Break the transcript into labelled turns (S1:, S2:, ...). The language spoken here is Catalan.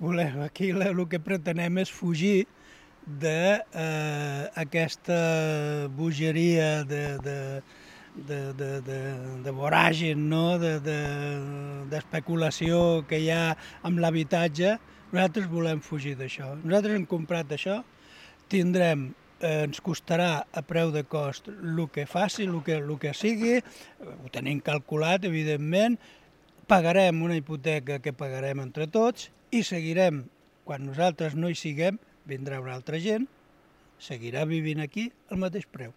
S1: Aquí el que pretenem és fugir d'aquesta bogeria de voràgin, no? D'especulació que hi ha amb l'habitatge. Nosaltres volem fugir d'això. Nosaltres hem comprat això, ens costarà a preu de cost el que faci, el que sigui, ho tenim calculat, evidentment, pagarem una hipoteca que pagarem entre tots i seguirem, quan nosaltres no hi siguem, vindrà una altra gent, seguirà vivint aquí al mateix preu.